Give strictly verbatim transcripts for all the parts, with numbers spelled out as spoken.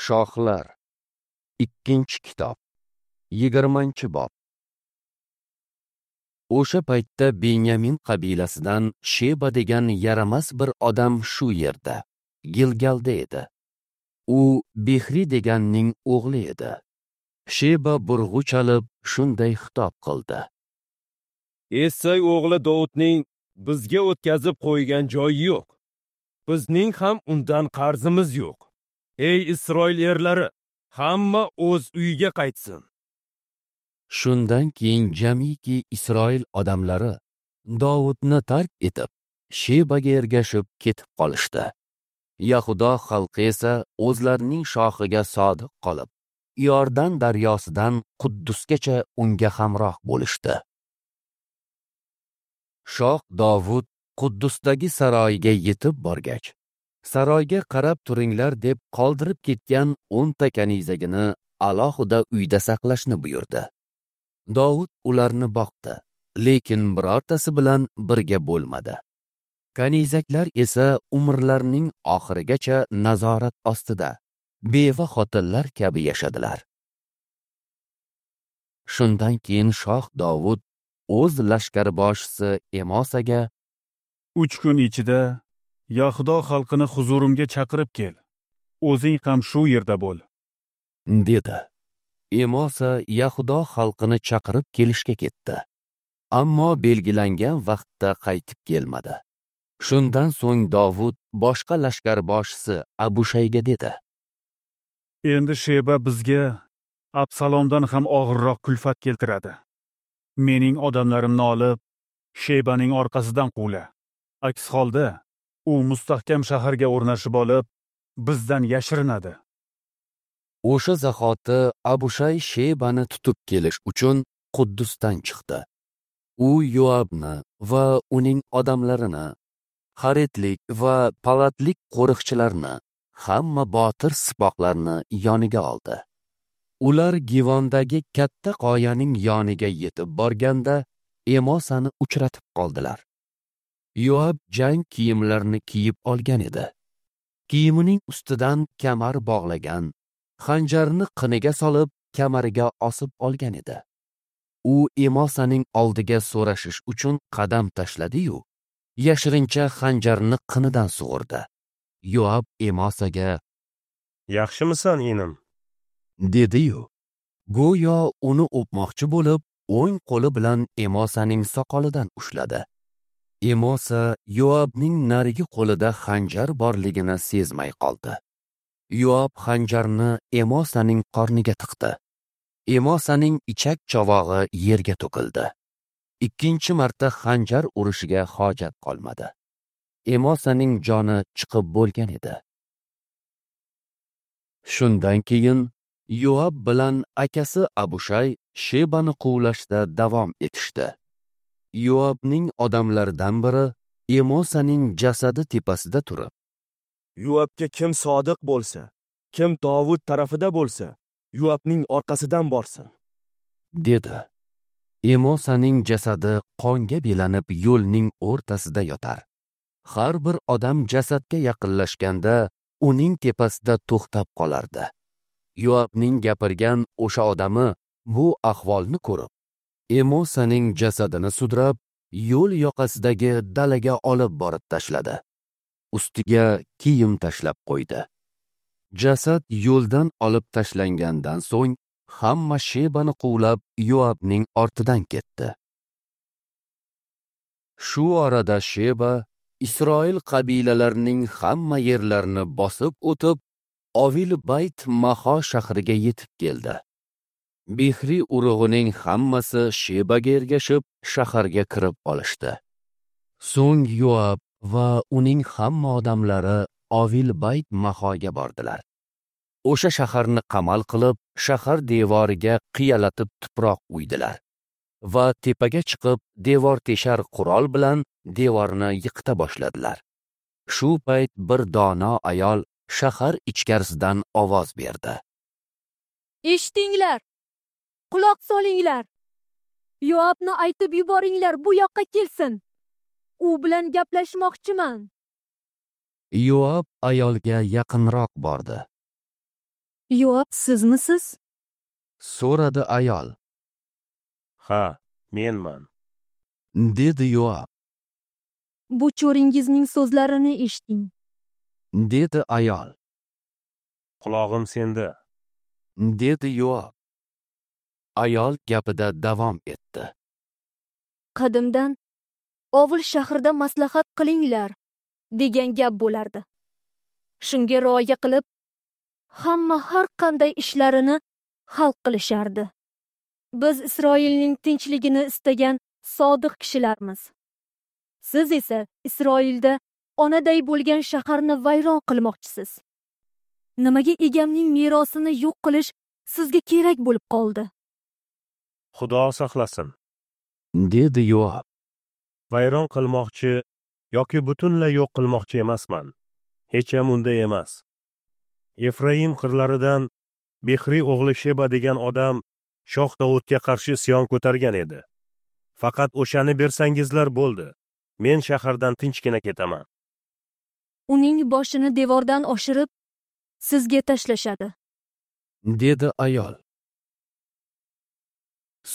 Shohlar, ikkinchi kitob, yigirmanchi bob. O'sha paytda Benyamin qabilasidan Sheba degan yaramas bir odam shu yerda, Gilgalda edi. U Bixri deganning o'g'li edi. Sheba burg'u chalib shunday xitob qildi: Essay o'g'li Dovudning bizga o'tkazib qo'ygan joyi yo'q. Bizning ham undan qarzimiz yo'q. Ey Isroil erlari, hamma o'z uyiga qaytsin. Shundan keyin jamiki Isroil odamlari Dovudni tark etib, Shebaga ergashib ketib qolishdi. Yahudo xalqi esa o'zlarining shohiga sodiq qolib, Iordan daryosidan Quddusgacha unga hamroh bo'lishdi. Shoh Dovud Quddusdagi saroyiga yetib borgach, saroyga qarab turinglar deb qoldirib ketgan o'nta kanizagini alohida uyda saqlashni buyurdi. Dovud ularni boqdi, lekin birortasi bilan birga bo'lmadi. Kanizaklar esa umrlarining oxirigacha nazorat ostida, beva xotinlar kabi yashadilar. Shundan keyin shoh Dovud o'z lashkarboshisi Emosaga: Uch kun ichida Yahudo xalqini huzurimga chaqirib kel. O'zing ham shu yerda bo'l, dedi. Emosa Yahudo xalqini chaqirib kelishga ketdi. Ammo belgilangan vaqtda qaytib kelmadi. Shundan so'ng Dovud boshqa lashkarboshisi Abushayga dedi: Endi Sheba bizga Absalomdan ham og'irroq kulfat keltiradi. Mening odamlarimni olib, Shebaning orqasidan quvla. Aks holda u mustahkam shaharga o'rnashib olib, bizdan yashirinadi. O'sha zahoti Abushay Shebani tutib kelish uchun Quddusdan chiqdi. U Yoabni va uning odamlarini, Haretlik va Palatlik qo'riqchilarni, hamma botir sipohlarni yoniga oldi. Ular Givondagi katta qoyaning yoniga yetib borganda Emosani uchratib qoldilar. Yoab jang kiyimlarini kiyib olgan edi. Kiyimining ustidan kamar bog'lagan, xanjarini qiniga solib, kamariga osib olgan edi. U Emosaning oldiga so'rashish uchun qadam tashladi-yu, yashirincha xanjarni qinidan sug'urdi. Yoab Emosaga: Yaxshimisan, inim? dedi-yu, go'yo uni o'pmoqchi bo'lib, o'ng qo'li bilan Emosaning soqolidan ushladi. Emosa Yoabning narigi qo'lida xanjar borligini sezmay qoldi. Yoab xanjarni Emosaning qorniga tiqdi. Emosaning ichak chovog'i yerga to'kildi. Ikkinchi marta xanjar urishiga hojat qolmadi. Emosaning joni chiqib bo'lgan edi. Shundan keyin Yoab bilan akasi Abushay Shebani quvlashda davom etishdi. Yoabning odamlaridan biri Emosaning jasadi tepasida turib, Yoabga kim sodiq bo'lsa, kim Dovud tarafida bo'lsa, Yoabning orqasidan borsin, dedi. Emosaning jasadi qonga belanib yo'lning o'rtasida yotar. Har bir odam jasadga yaqinlashganda uning tepasida to'xtab qolardi. Yoabning gapirgan o'sha odami bu ahvolni ko'rib, Emosaning jasadini sudrab, yo'l yoqasidagi dalaga olib borib tashladi. Ustiga kiyim tashlab qo'ydi. Jasad yo'ldan olib tashlangandan so'ng hamma Shebani quvlab Yoabning ortidan ketdi. Shu orada Sheba Isroil qabilalarining hamma yerlarini bosib o'tib, Ovil Bayt Maho shahriga yetib keldi. Bixri urug'ining hammasi Shebaga ergashib, shaharga kirib olishdi. So'ng Yoab va uning hamma odamlari Ovil Bayt Mahoga bordilar. O'sha shaharni qamal qilib, shahar devoriga qiyalatib tuproq uydilar va tepaga chiqib, devor teshar qurol bilan devorni yiqita boshladilar. Shu payt bir dono ayol shahar ichkarisidan ovoz berdi: Eshitinglar, quloq solinglar. Yoabni aytib yuboringlar, bu yoqqa kelsin. U bilan gaplashmoqchiman. Yoab ayolga yaqinroq bordi. Yoab sizmisiz? So'radi ayol. Ha, menman, dedi Yoab. Bu cho'ringizning so'zlarini eshiting, dedi ayol. Qulog'im senda, dedi Yoab. Ayol gapida davom etdi. Qadimdan ovul shahrida maslahat qilinglar degan gap bo'lardi. Shunga rioya qilib, hamma har qanday ishlarini hal qilishardi. Biz Isroilning tinchligini istagan sodiq kishilarmiz. Siz esa Isroilda onaday bo'lgan shaharni vayron qilmoqchisiz. Nimaga egamning merosini yo'q qilish sizga kerak bo'lib qoldi? Xudo saqlasin, dedi Yoab. Vayron qilmoqchi yoki butunlay yo'q qilmoqchi emasman. Hech ham unday emas. Efraim qirlaridan Bixri o'g'li Sheba degan odam shoh Davudga qarshi isyon ko'targan edi. Faqat o'shani bersangizlar bo'ldi. Men shahardan tinchgina ketaman. Uning boshini devordan oshirib, sizga tashlashadi, dedi ayol.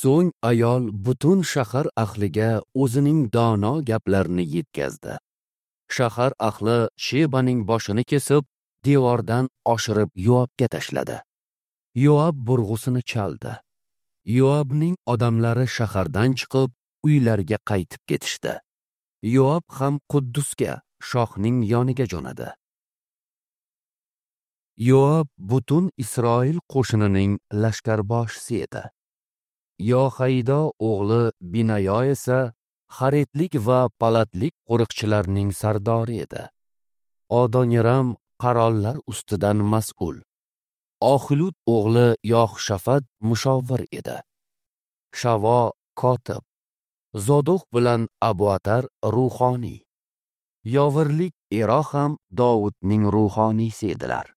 So'ng ayol butun shahar ahliga o'zining dono gaplarini yetkazdi. Shahar ahli Shebaning boshini kesib, devordan oshirib Yoabga tashladi. Yoab burg'usini chaldi. Yoabning odamlari shahardan chiqib, uylariga qaytib ketishdi. Yoab ham Quddusga, shohning yoniga jo'nadi. Yoab butun Isroil qo'shinining lashkarboshisi edi. Yohaydo o'g'li Binayo esa Xaretlik va Palatlik qo'riqchilarning sardori edi. Odoniram qarollar ustidan mas'ul. Oxilud o'g'li Yohshafat mushovir edi. Shavo kotib, Zodoq bilan Abuatar ruhoniy. Yovirlik Ero ham Dovudning ruhoniysi edilar.